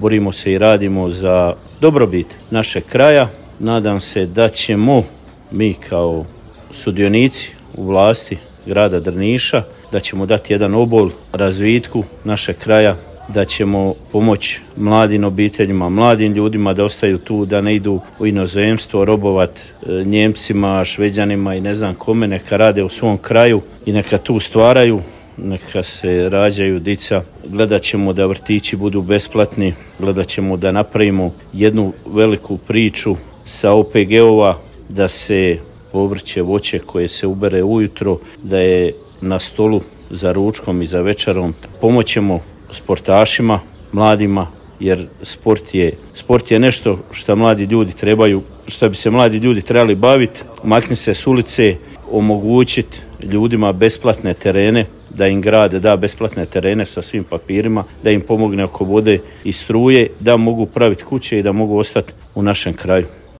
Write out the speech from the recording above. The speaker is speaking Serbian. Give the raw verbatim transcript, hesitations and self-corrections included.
borimo se i radimo za dobrobit našeg kraja. Nadam se da ćemo mi kao sudionici u vlasti grada Drniša, da ćemo dati jedan obol razvitku našeg kraja, da ćemo pomoći mladim obiteljima, mladim ljudima da ostaju tu, da ne idu u inozemstvo, robovat Njemcima, Šveđanima i ne znam kome, neka rade u svom kraju i neka tu stvaraju, neka se rađaju dica. Gledat ćemo da vrtići budu besplatni, gledat ćemo da napravimo jednu veliku priču sa O P G-ova, da se povrće, voće koje se ubere ujutro, da je na stolu za ručkom i za večerom. Pomoćemo sportašima, mladima, jer sport je, sport je nešto što mladi ljudi trebaju, što bi se mladi ljudi trebali baviti. Makni se s ulice, omogućiti ljudima besplatne terene, da im grad da besplatne terene sa svim papirima, da im pomogne oko vode i struje, da mogu praviti kuće i da mogu ostati u našem kraju.